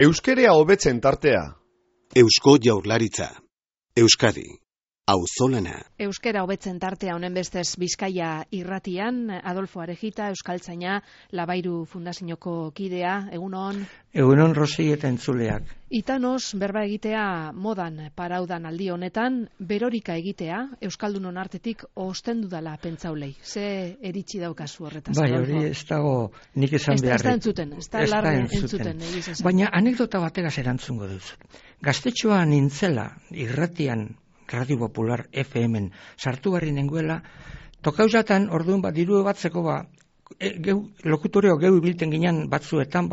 Euskerea hobetzen tartea. Eusko Jaurlaritza. Euskadi. Auzolana. Euskera hobetzen tartea honen bestez Bizkaia irratian, Adolfo Arejita, euskaltzaina, Labairu Fundazioko kidea, egunon. Egunon Rosi eta entzuleak. Itanos berba egitea modan paraudan aldi honetan, berorika egitea, euskaldunon artetik ostendu dala pentsaulei. Ze eritzi daukazu horretaz? Bai, hori ez dago nik esan beharrik. Ez da entzuten, ez da larre entzuten. Baina anekdota bategaz erantzungo duzut. Gaztetxoa nintzela irratian, Radio Popular FM-en sartu barri nenguela, tokauzatan orduan diru batzeko lokutoreo geu ibilten ginen batzuetan,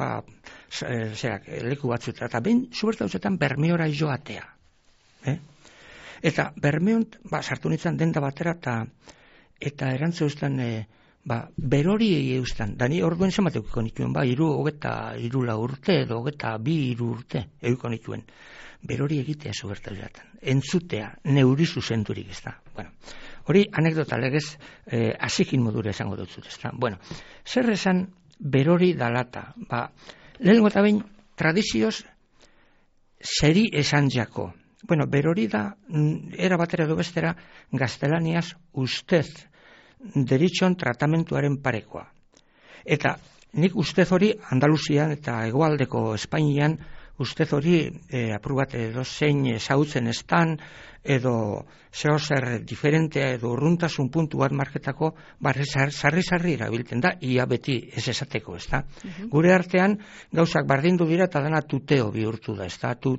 leku batzuetan, eta behin zubertauzetan Bermeora joatea. Eta Bermeon sartu nintzen denda batera, eta erantzu eustan, berori eustan, da ni orduen zemateuko nituen, 23 urte edo 22 urte euko nituen. Berori egitea zubertauzetan, entzutea, neuri zuzenturik, ez da. Bueno, hori anekdota legez asikin modura esango dutzut, ez da. Bueno, zer esan berori dalata? Lehenengo eta behin tradizioz zeri esan jako. Bueno, berori da, era batera edo bestera, gaztelaniaz ustez deritxon tratamentuaren parekoa. Eta nik ustez hori Andaluzian eta hegoaldeko Espainian ustez hori apur bat edo zein zautzen estan edo zehozer diferentea edo urruntasun puntu bat marketako sarri erabiltzen da, ia beti ez esateko, ez da. Gure artean gauzak bardindu dira eta dana tuteo bihurtu da, ez da, tu,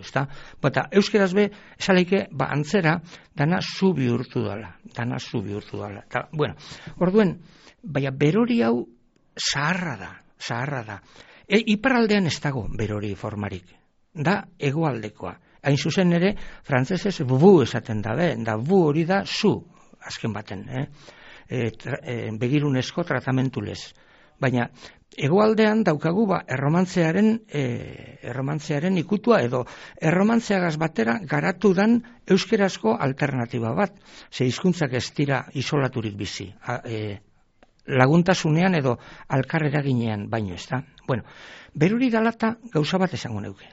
ez da. Bata, euskeraz be, esaleike, antzera, dana zu bihurtu dala. Ta, bueno, orduen, baina berori hau zaharra da. Iparraldean ez dago berori formarik, da hegoaldekoa. Hain zuzen ere, frantzesez bu esaten da bu hori da zu, azken baten, begirunezko tratamentu lez. Baina hegoaldean daukagu erromantzearen ikutua edo erromantzeagaz batera garatu dan euskerazko alternatiba bat, ze hizkuntzak ez dira isolaturik bizi. Laguntasunean edo alkarrera ginean baino, ez da. Bueno, berori dalata gauza bat esango neuke.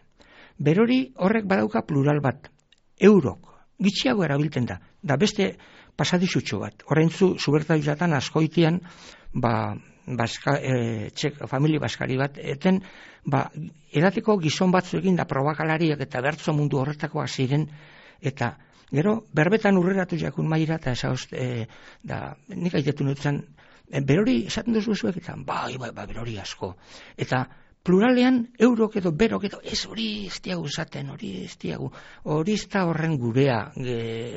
Berori horrek badauka plural bat, eurok, gitxiago erabiltzen da beste pasadizutxo bat. Horreintzu, zubertauzatan askoitian, familia baskari bat, eten, edateko gizon batzuekin da probakalariak eta bertzo mundu horretakoak ziren, eta gero, berbetan urreratu jakun maira, eta nik aitetu nutzen, berori esaten duzuek eta berori asko. Eta pluralean eurok edo berok edo hori ez diagu esaten, hori ez da horren gurea,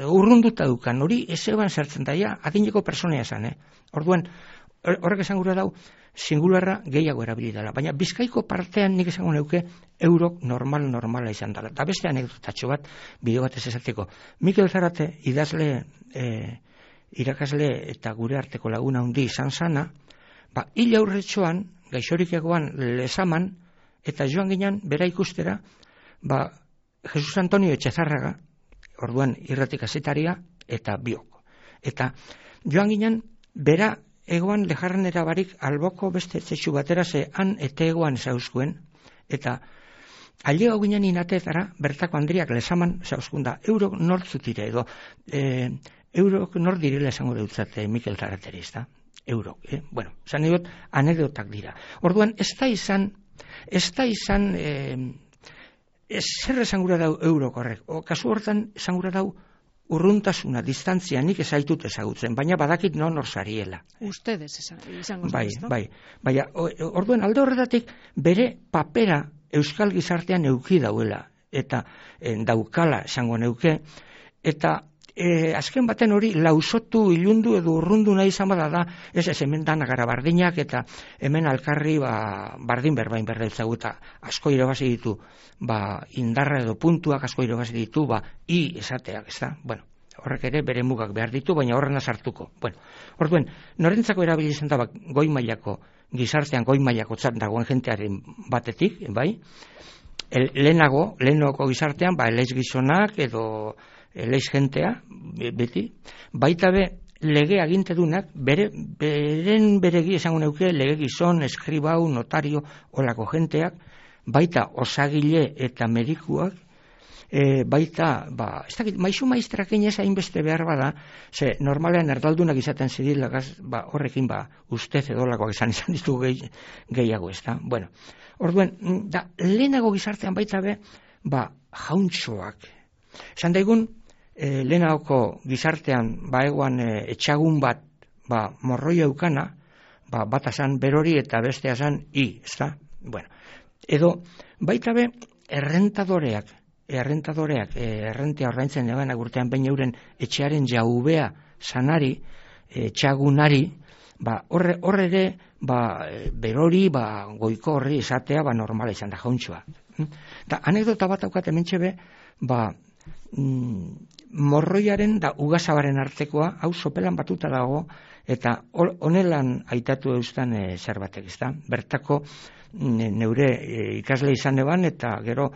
urrunduta dukan, hori ez eban zertzen daia, adineko personea esan, Orduan, horrek esan gura dau, singularra gehiago erabili dela. Baina Bizkaiko partean nik esango neuke eurok normala izan dela. Eta beste anekdotatxo bat, bideo bat ez esateko. Mikel Zarate, idazle irakasle eta gure arteko laguna handi izan zana, hil aurretxoan, gaixorik egoan Lezaman, eta joan ginen bera ikustera, Jesus Antonio Etxezarraga, orduan irratik azetaria, eta biok. Eta joan ginen bera egoan lejarrenera barik alboko beste etxetxu batera ze han eta egoan zauzkuen, eta alde hau ginen inatetara, bertako Andriak Lezaman zauzkunda, eurok nortzutire edo, eurok nor direla esango deutzate Mikel Zarateri, ez da? Eurok, Bueno, esan egot, anekdotak dira. Orduan, ez da izan, zer esan gura dau eurok horrek. Kasu hortan esan gura dau urruntasuna, distantzia, nik ezaitut ezagutzen, baina badakit nor zariela. Ustedes izango zen, Bai. Baina, orduan, alde horretatik, bere papera euskal gizartean euki dauela, eta daukala esango neuke, eta azken baten hori lausotu, ilundu edo urrundu nahi izan bada da, ez hemen dana gara bardinak eta hemen alkarri bardin berbain berdeutzagu eta asko irabazi ditu, indarra edo puntuak asko irabazi ditu, esateak, ez da? Bueno, horrek ere bere mugak behar ditu, baina horrena sartuko. Bueno, orduen, norentzako erabili izan da goi mailako gizartean goi mailako txat dagoen jentearen batetik, bai? Lehenoko gizartean, eleiz gizonak edo eleiz jentea, beti, baita be lege agintedunak, beregi esango neuke, lege gizon, eskribau, notario, olako jenteak, baita osagile eta medikuak, baita, ez dakit, maizu maistrak inez hainbeste behar bada, ze normalean erdaldunak izaten zidilagaz, horrekin ustez edolakoak izan ditugu gehiago, ez da? Bueno, orduen, da, lehenago gizartean baita be, jauntxoak. Esan daigun, lehenagoko gizartean, egoan etxagun bat, morroi eukana, bat asan berori eta beste asan ez da? Bueno, edo, baita be, errententea ordaintzen egan agurtean behin euren etxearen jaubea sanari, etxagunari, horre ere, berori, goiko horri esatea, normala izan da jauntxoa. Da, anekdota bat aukat hementxe be, morroiaren da ugazabaren artekoa, hau sopelan batuta dago, eta honelan aitatu eustan zerbatek, ez da? Bertako neure ikasle izan eban, eta gero,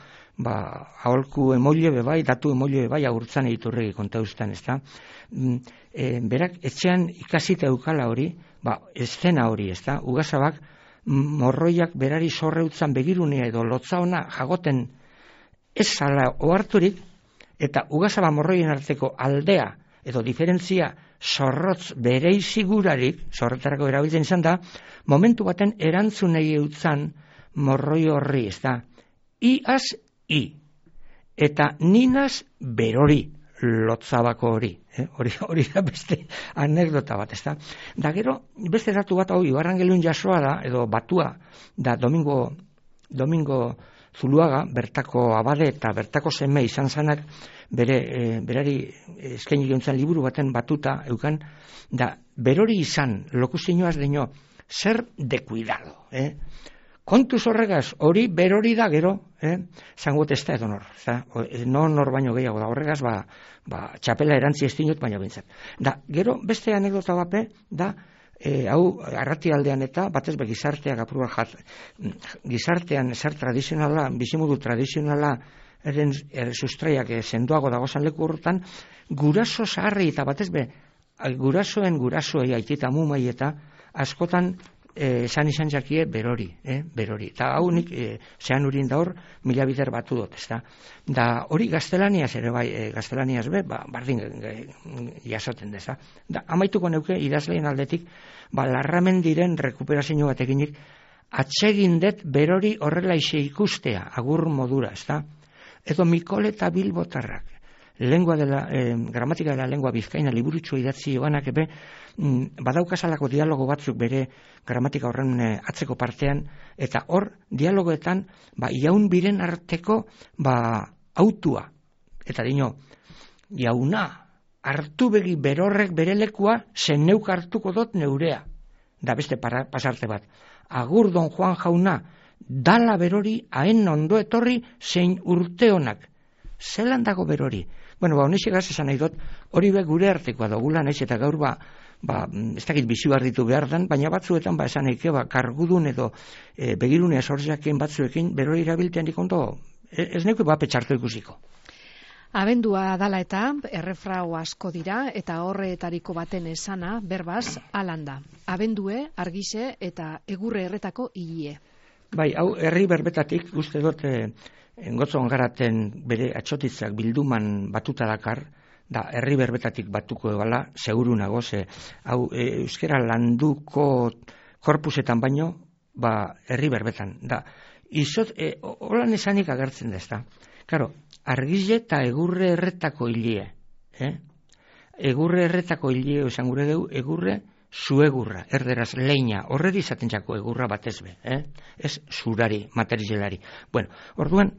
aholku emoile bebai, datu emoile bebai, agurtzan egiturregi konta eustan, ez da? Berak, etxean ikasita eukala hori, eszena hori, ez da? Ugazabak, morroiak berari sorreutzan begirunea edo lotza ona jagoten ez zala oharturik, eta ugazaba morroien arteko aldea edo diferentzia zorrotz bereizigurarik, zorretarako erabiltzen izan da, momentu baten erantzunei eutzan morroi horri, ez da, iaz i, eta ninaz berori, lotzabako hori, hori da beste anekdota bat, ez da. Da gero, beste datu bat, Ibarrangelun jasoa da, edo batua, da Domingo Zuluaga, bertako abade eta bertako seme izan zanak, berari eskaini gintzen liburu baten batuta eukan, da berori izan, lokuzioaz deño, zer de cuidado, kontuz horregaz, hori berori da gero, zangot ez da edo nor, nor baino gehiago da horregaz, txapela erantzi ez dinut, baina bintzat. Da, gero, beste anekdota bape, da, hau arratialdean eta batez be gizarteak apurua gizartean zer tradizionala, bizimodu tradizionala sustraiak sendoago dagozan leku horretan, guraso zaharri eta batez be gurasoei aitita mumai eta askotan esan izan jakie berori. Eta hau nik zean urin da hor mila bider batu dut, ez da. Da hori gaztelaniaz ere bai, gaztelaniaz be, bardin jasoten deza. Da, amaituko neuke idazleen aldetik, Larramendiren rekuperazio batekinik atsegindet berori horrela ixe ikustea, agur modura, ez da. Edo Mikol eta Bilbotarrak, gramatika de la lengua bizkaina liburutxo idatzi joanak ebe, badaukasalako dialogo batzuk bere gramatika horren atzeko partean, eta hor dialogoetan jaun biren arteko autua. Eta dino, jauna, hartu begi berorrek bere lekua, zen neuk hartuko dot neurea. Da beste pasarte bat. Agur don Juan jauna, dala berori, haen ondo etorri, zein urte honak. Zelan dago berori? Bueno, honexegaz esan nahi dut, hori be gure artekoa dugula, naiz eta gaur ez dakit bizi barritu behar dan, baina batzuetan esan eike, kargudun edo begirunea sortzeaken batzuekin, berori erabiltean dikondo, ez neuke petxartu ikusiko. Abendua dala eta errefrau asko dira eta horretariko baten esana, berbaz, alanda. Abendue, argixe eta egurre erretako hilie. Bai, hau herri berbetatik, uste dut, Gotzon garaten bere atxotitzak bilduman batuta dakar, da herri berbetatik batuko ebala, seguru nago, hau euskera landuko korpusetan baino, herri berbetan. Da, holan esanik agertzen da, ez da. Karo, argize eta egurre erretako hilie. Egurre erretako hilie, esan gure dugu, egurre zuegurra, erderaz leina, horreri izaten jako egurra batez be, ez zurari, materialari. Bueno, orduan,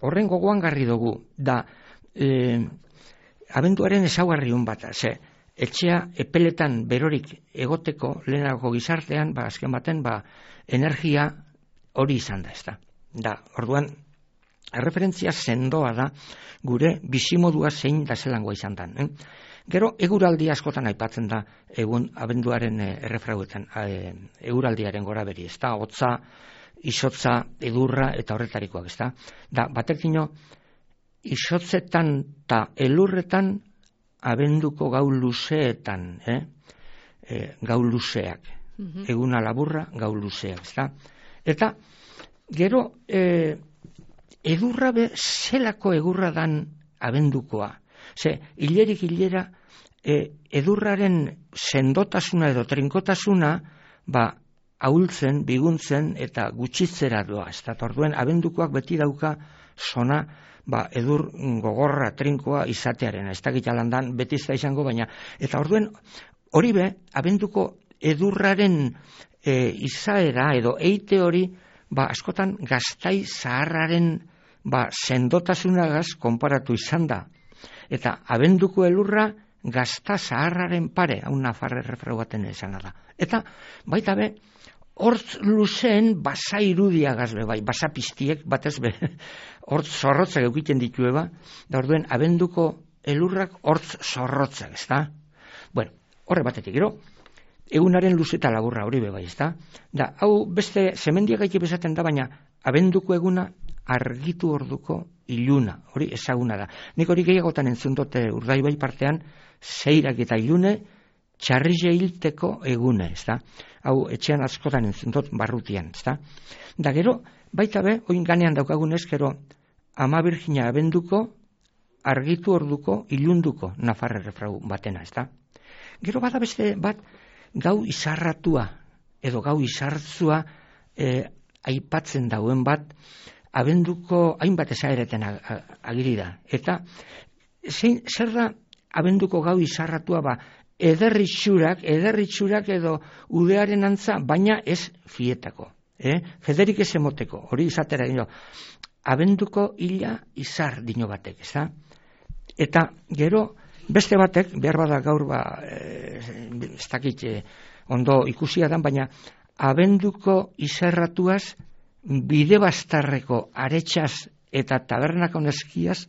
horren gogoan garri dugu, da abenduaren ezaugarri hon bat, etxea epeletan berorik egoteko lehenako gizartean, azken baten, energia hori izan da, ez da. Da, orduan, erreferentzia sendoa da, gure bizimodua zein da zelangoa izan da. Gero, eguraldi askotan aipatzen da, egun abenduaren errefrauetan, eguraldiaren gora beri, ez da, hotza, izotza, edurra eta horretarikoak, ez da. Da, batekino, izotzetan eta elurretan abenduko gau luzeetan, gau luzeak, eguna laburra, gau luzeak, ez da. Eta, gero, edurra zelako egurra dan abendukoa. Ze, hilerik hilera, edurraren sendotasuna edo trinkotasuna, ahultzen, biguntzen eta gutxitzera doa. Ez da, orduen, abendukoak beti dauka zona, edur gogorra, trinkoa izatearen. Ez da gitalandan beti ez da izango, baina. Eta orduen, hori abenduko edurraren izaera edo eite hori, askotan gaztai zaharraren sendotasunagaz konparatu izan da. Eta abenduko elurra gazta zaharraren pare, hau nafarre refrau baten esana da. Eta baita hortz luzeen basa irudiagaz basa piztiek batez hortz zorrotzak eukiten ditue da orduen abenduko elurrak hortz zorrotzak, ez da? Bueno, horre batetik, gero, egunaren luze eta laburra hori bai, ez da? Da, hau beste zemendiak gaiti bezaten da, baina abenduko eguna argitu orduko iluna, hori ezaguna da. Nik hori gehiagotan entzun dute Urdaibai partean, zeirak eta ilune, txarrize hilteko egune, ez da? Hau etxean askotan entzun dut barrutian, ez da? Da gero, baita oin ganean daukagunez, gero, Ama Birjina abenduko, argitu orduko, ilunduko nafarre refrau batena, ez da? Gero bada beste bat, gau izarratua, edo gau izartzua aipatzen dauen bat, abenduko hainbat ezaereten agiri da. Eta zer da abenduko gau izarratua ederritxurak edo udearen antza, baina ez fietako. Federik ez emoteko, hori izatera dino. Abenduko hila izar dino batek, ez da? Eta gero beste batek, behar bada gaur ez dakit ondo ikusia dan, baina abenduko izarratuaz bide bastarreko aretxaz eta tabernako neskiaz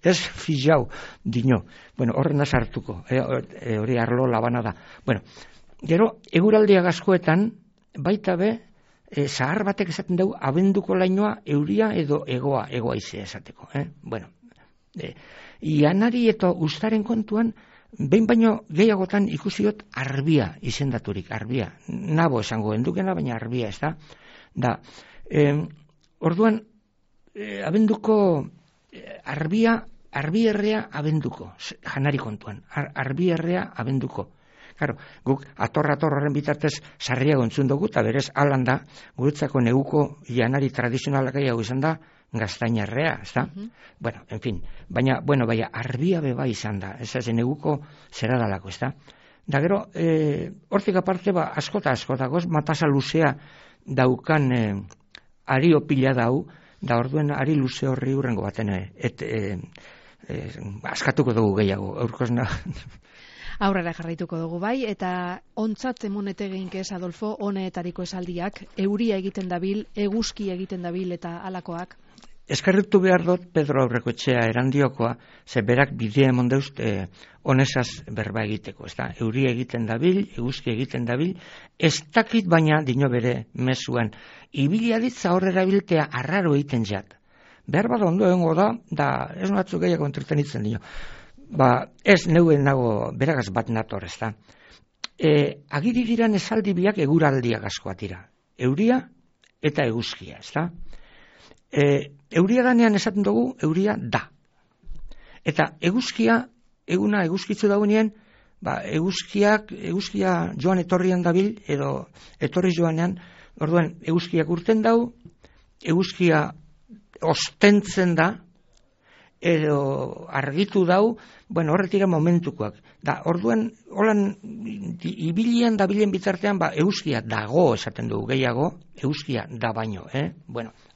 ez fijau dino. Bueno, horren sartuko, hori arlo labana da. Bueno, gero, eguraldia gazkoetan, baita zahar batek esaten dugu, abenduko lainoa euria edo egoa izea esateko. Bueno, ianari eta ustaren kontuan, behin baino gehiagotan ikusiot arbia izendaturik, arbia. Nabo esango endukena, baina arbia, ez da? Da, orduan, abenduko arbierrea abenduko, janari kontuan, arbierrea abenduko. Claro, guk atorra-atorraren bitartez sarriago entzun dugu, eta berez alanda, guretzako neguko janari tradizionalak hau izan da, gaztainarrea, ez da? Bueno, en fin, baina arbia beba izan da, ez da, neguko zera dalako, ez da? Da gero, hortik aparte, askota, matasa luzea daukan ari opila dau, da orduen ari luze horri hurrengo baten, askatuko dugu gehiago, aurkozna. Aurrera jarraituko dugu bai, eta ontzat emonete geinkez, Adolfo, honeetariko esaldiak, euria egiten dabil, eguzki egiten dabil eta alakoak? Eskerritu behar dut Pedro Aurrekoetxea erandiokoa, ze berak bidea emon deust honesaz berba egiteko, ez da? Euria egiten dabil, eguzki egiten dabil, ez dakit baina dino bere mezuan, ibiliaditza horrera biltea arraro egiten jat. Behar bada ondo egongo da ez batzuk gehiago entretenitzen dino. Ez neuen nago beragaz bat nator, ez da. Agiri diran esaldi biak eguraldiak askoa dira. Euria eta eguzkia, ez da. Euria danean esaten dugu, euria da. Eta eguzkia, eguna eguzkitzu daunean, eguzkia joan etorrian dabil, edo etorri joanean, orduan eguzkiak urten dau, eguzkia ostentzen da, edo argitu dau, horretira momentukoak. Da, orduan, holan, ibilian dabilen bitartean, eguzkia dago esaten dugu gehiago, eguzkia da baino,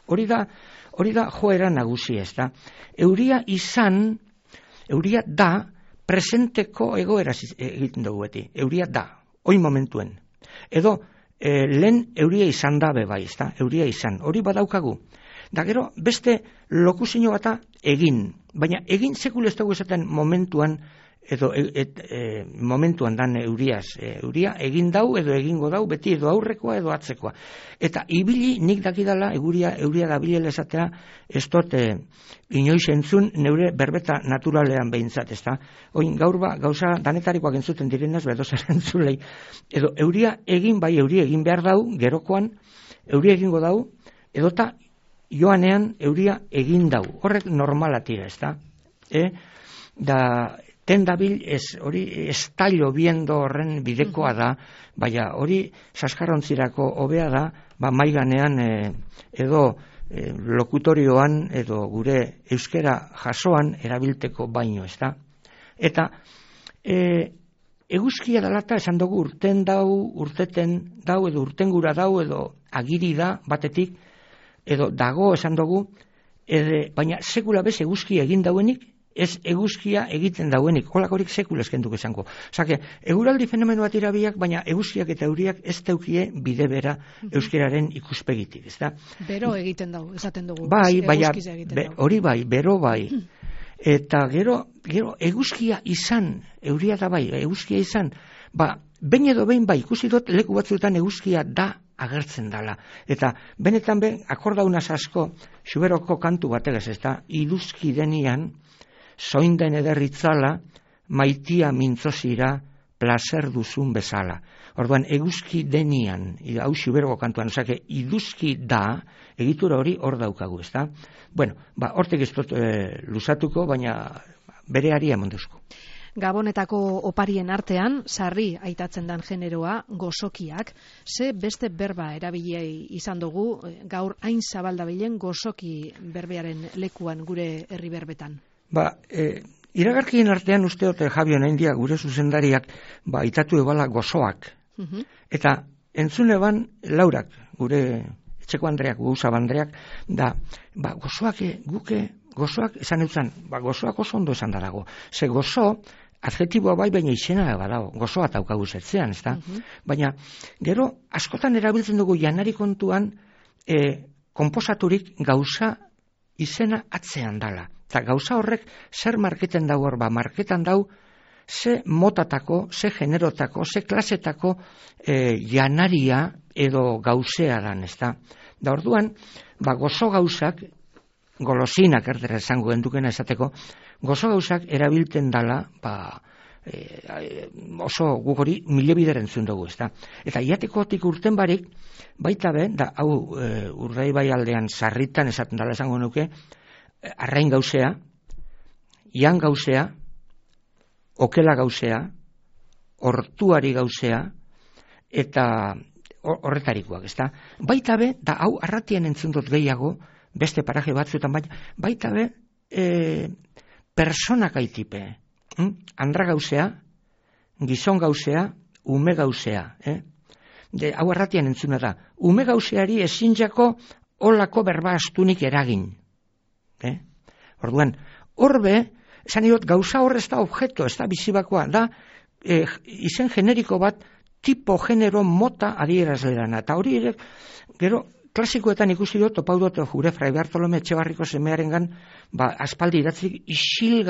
hori da joera nagusia, ez da. Euria da, presenteko egoera egiten dugu beti. Euria da, oin momentuen. Edo, lehen euria izan da bai, ez da, euria izan. Hori badaukagu. Da gero, beste lokuzio bata egin. Baina egin sekul ez dugu esaten momentuan, edo momentuan dan euriaz. Euria egin dau edo egingo dau, beti edo aurrekoa edo atzekoa. Eta ibili nik dakidala, euria dabilela esatea, ez dut inoiz entzun neure berbeta naturalean behintzat, ez da. Oin gaur gauza danetarikoak entzuten direnez, bedozer entzulei. Edo euria egin behar dau, gerokoan, euria egingo dau, edota joanean euria egin dau. Horrek normala tira, ezta? Da tendabil hori estallo biendo horren bidekoa da, baina hori saskarrontzirako hobea da, maiganean edo lokutorioan edo gure euskera jasoan erabilteko baino, ezta? Eta eguzkia dalata esan dugu urten dau, urteten dau edo urtengura dau edo agiri da batetik edo dago esan dugu, baina sekula bez eguzkia egin dauenik, ez eguzkia egiten dauenik, holakorik sekula eskenduko esango. Osake, eguraldi fenomeno bat irabiak, baina eguzkiak eta euriak ez teukie bide bera euskeraren ikuspegitik, ez da? Bero egiten dau, esaten dugu. Bai, hori bai, bero bai. Eta gero eguzkia izan, euria da bai, eguzkia izan, behin edo behin bai, ikusi dut leku batzuetan eguzkia da agertzen dala. Eta benetan akordaunaz asko, Xuberoko kantu bategaz, ez da, iduzki denian, zoinden ederritzala, maitia mintzozira, plazer duzun bezala. Orduan, eguzki denian, hau Xuberoko kantuan, osake, iduzki da, egitura hori hor daukagu, ez da? Bueno, hortek ez dut luzatuko, baina bere aria emonduzko. Gabonetako oparien artean, sarri aitatzen dan generoa, gozokiak, ze beste berba erabiliei izan dugu, gaur hain zabaldabilen gozoki berbearen lekuan gure herri berbetan. Iragarkien artean usteot Javion Aindia gure zuzendariak itatu ebala gozoak. Eta entzune ban Laurak, gure etxeko Andreak, Gauza Andreak, da gozoak gozoak esan eutzan, gozoak oso ondo esan dago. Ze gozo, adjetiboa bai, baina izena badago, gozoa taukagu zetzean, ez da? Baina, gero, askotan erabiltzen dugu janari kontuan, konposaturik gauza izena atzean dala. Eta gauza horrek zer marketen dau hor, marketan dau ze motatako, ze generotako, ze klasetako janaria edo gauzea dan, ez da? Da orduan, gozo gauzak, golosinak erdera esango endukena esateko, gozo gauzak erabilten dala, oso gugori mile bideren zuen dugu, ez da? Eta iatekotik urten barik, baita da hau Urdaibai aldean sarritan esaten dala esango nuke, arrain gauzea, ian gauzea, okela gauzea, hortuari gauzea, eta horretarikoak, ez da? Baita da hau arratian entzun dut gehiago, beste paraje batzuetan, baita personak aitipe, andra gauzea, gizon gauzea, ume gauzea, hau arratian entzuna da, ume gauzeari ezinjako olako berba astunik eragin. Orduan, horbe, esan dut, gauza horre ez da objeto, ez da bizibakoa, da izen generiko bat, tipo, genero, mota adierazlerana. Eta hori ere, gero, klasikoetan ikusi dut, topau dut, jure Fray Bartolome Etxebarriko semearengan, aspaldi idatzik, isil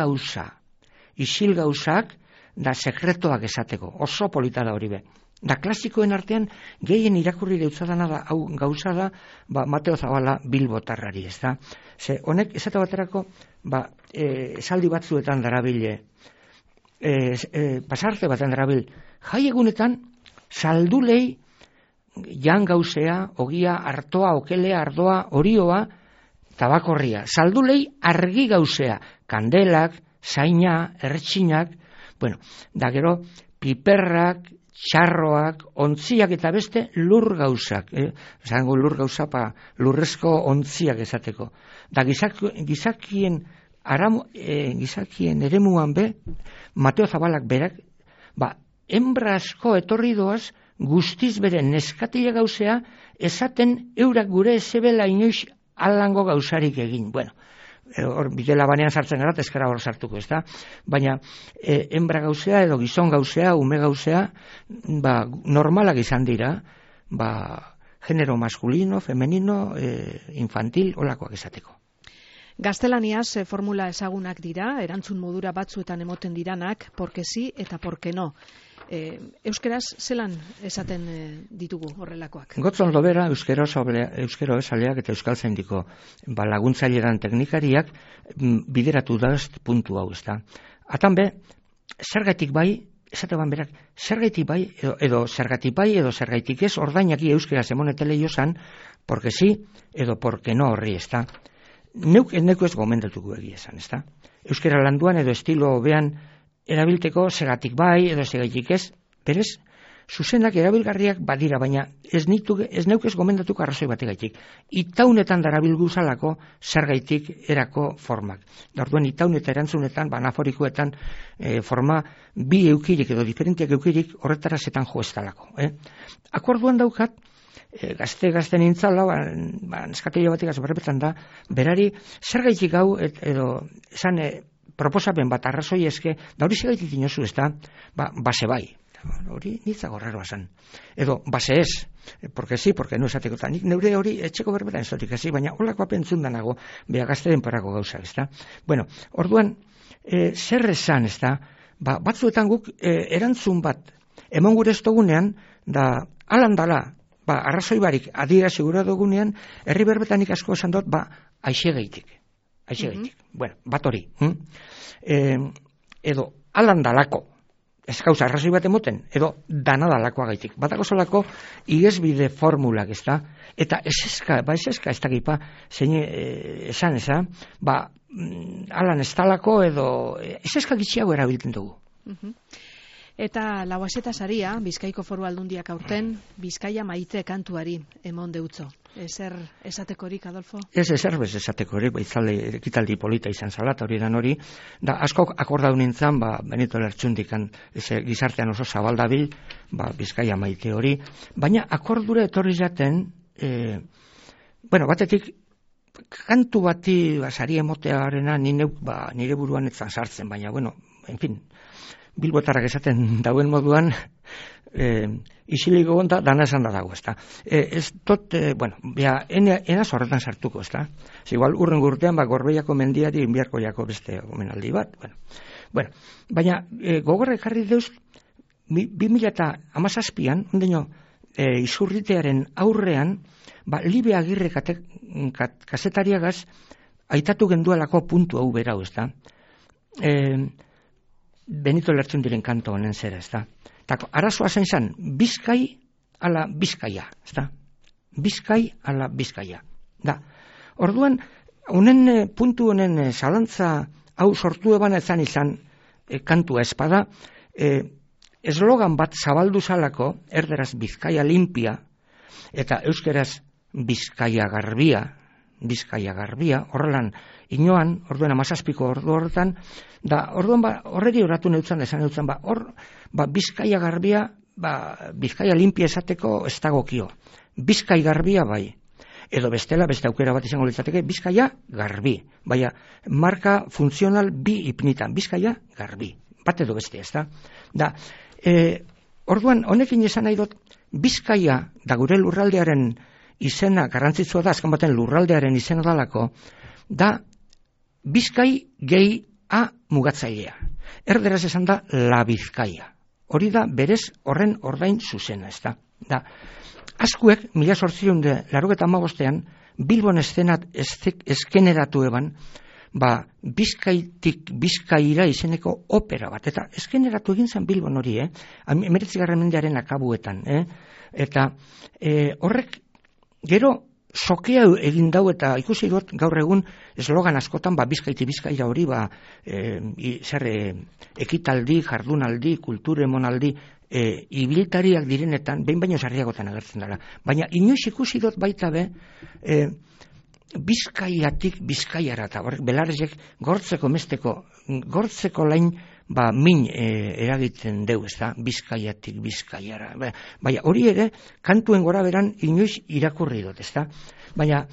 gauzak, da sekretoak esateko, oso polita da hori be. Da klasikoen artean, gehien irakurri deutzadana da, hau gauza da, Mateo Zabala Bilbotarrari, ez da? Ze, honek, esate baterako, esaldi batzuetan darabile, pasarte baten darabil, jai egunetan, saldulei, jan gauzea, ogia, artoa, okelea, ardoa, orioa, tabakorria. Saldulei argi gauzea, kandelak, zaina, ertxinak, bueno, da gero, piperrak, txarroak, ontziak eta beste lur gauzak. Zango lur gauza, lurrezko ontziak esateko. Da gizakien eremuan be, Mateo Zabalak berak, hembra asko etorri doaz, guztiz bere neskatile gauzea, esaten eurak gure ezebela inoiz alango gauzarik egin. Bueno, hor bidela banean sartzen gara, eskara hor sartuko, ez da? Baina, hembra gauzea edo gizon gauzea, ume gauzea, normalak izan dira, genero masculino, femenino, infantil, holakoak esateko. Gaztelaniaz formula ezagunak dira, erantzun modura batzuetan emoten diranak, porque sí eta porque no. Euskeraz zelan esaten ditugu horrelakoak? Gotzon lobera euskero esaleak eta euskaltzaindiko laguntzaileran teknikariak bideratu daz puntu hau, ez da. Atan be, zergatik bai, esate ban berak, zergatik bai edo zergatik ez ordainak euskeraz emonetele jozan, porque sí, edo porque no horri, ezta. Neuk ez gomendatuko egia esan, ezta. Euskara landuan edo estilo hobean erabilteko segatik bai, edo segaitik ez, berez, zuzenak erabilgarriak badira, baina ez neuk ez gomendatuko arrazoi bategaitik. Itaunetan darabilguzalako zergaitik erako formak. Orduan itaun eta erantzunetan, anaforikoetan forma bi eukirik edo diferentiak eukirik horretara zetan jo ez talako. Akorduan daukat, gazte nintzala, neskateio batik azberrepetan da, berari zergaitik hau edo esan proposapen bat arrazoi eske, da hori segaitik inozu ez da, base bai. Hori nitzago raroa zan. Edo, base ez, porque sí, porque no esateko eta nik neure hori etxeko berbetan ezotik hasi, baina holako apentzun danago, beha gazte denparako gauza, ez da. Bueno, orduan, zer esan, ez da, batzuetan guk erantzun bat, emon gure ez dugunean, da, alandala, arrazoi barik adira segura dugunean, herri berbetanik asko esan dut, aixegeitik. Bueno, bat hori. Edo, alandalako, ez gauza arrazoi bat emoten, edo danadalakoa gaitik. Batako solako igesbide formulak, ez da? Eta eseska ez dakipa, zein esan, alan ez talako edo eseska gitxiago erabiltzen dugu. Eta lauazeta saria, Bizkaiko Foru Aldundiak aurten, Bizkaia maite kantuari emon deutzo. Ezer esatekorik, Adolfo? Ez bez esatekorik, baitzale ekitaldi polita izan zalat, hori dan hori, da asko akordau nintzen, Benito Lertxundikan, gizartean oso zabaldabil, Bizkaia maite hori, baina akordura etorri jaten, batetik, kantu bati sari emotearena nire buruan etzan sartzen, baina, en fin, bilbotarrak esaten dauen moduan, isiliko gonta, dana esan da dago, ezta. Ez tot, enaz horretan sartuko, ezta. Igual, urren gurtean, Gorbeiako mendiari inbiarkoiako beste omenaldi bat, baina, gogorrek jarri deuz, 2017an, ondeño, izurritearen aurrean, Libe Agirre kazetariagaz, aitatu gendualako puntu hau berau, ezta. Benito Lertxundiren kanto honen zera, ezta. Arazoa zen, Bizkai ala Bizkaia, ezta. Bizkai ala Bizkaia. Da, orduan, puntu honen zalantza hau sortu eban izan kantua espada, eslogan bat zabaldu zalako, erderaz Bizkaia limpia, eta euskeraz Bizkaia garbia, horrelan inoan, orduan 17 ordu horretan, da orduan horreri horatu neutzan, esan neutzan, Bizkaia garbia, Bizkaia limpia esateko ez dagokio. Bizkai garbia bai. Edo bestela, beste aukera bat izango litzateke, Bizkaia garbi. Baina, marka funtzional bi ipnitan, Bizkaia garbi. Bat edo beste, ez da? Da, orduan, honekin esan nahi dut, Bizkaia da gure lurraldearen izena, garrantzitsua da, azkan baten lurraldearen izena dalako, da Bizkai gehi a mugatzailea. Erderaz esan da la Bizkaia. Hori da berez horren ordain zuzena, ez da. Da, askuek, 1885ean, Bilbon eszenat eskeneratu eban, Bizkaitik Bizkaira izeneko opera bat, eta eskeneratu egin zen Bilbon hori, 19. mendearen akabuetan, eta horrek gero sokea egin dau, eta ikusi dut gaur egun eslogan askotan, Bizkaiti Bizkaira hori, ekitaldi, jardunaldi, kultur emonaldi, ibiltariak direnetan, behin baino sarriagotan agertzen dara. Baina inoiz ikusi dut baita be, Bizkaiatik Bizkaiara, eta horrek belarezek gortzeko lain, min eragiten deu, ez da, Bizkaiatik Bizkaiara. Baina hori ere, kantuen gora beran inoiz irakurri dut, ez da. Baina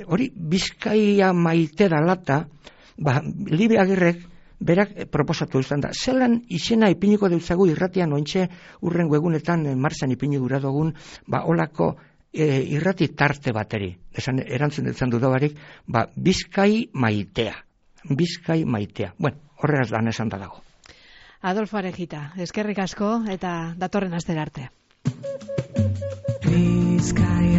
hori Bizkaia maite dalata, Libe Agirrek berak proposatu izan da. Zelan izena ipiniko deutzagu irratian ointxe urrengo egunetan martxan ipini gura dugun, olako irrati tarte bateri. Erantzun dutzen dudabarik, Bizkai maitea. Bizkai maitea. Bueno, horreraz da esan da dago. Adolfo Arejita, eskerrik asko eta datorren astera arte. Bizkai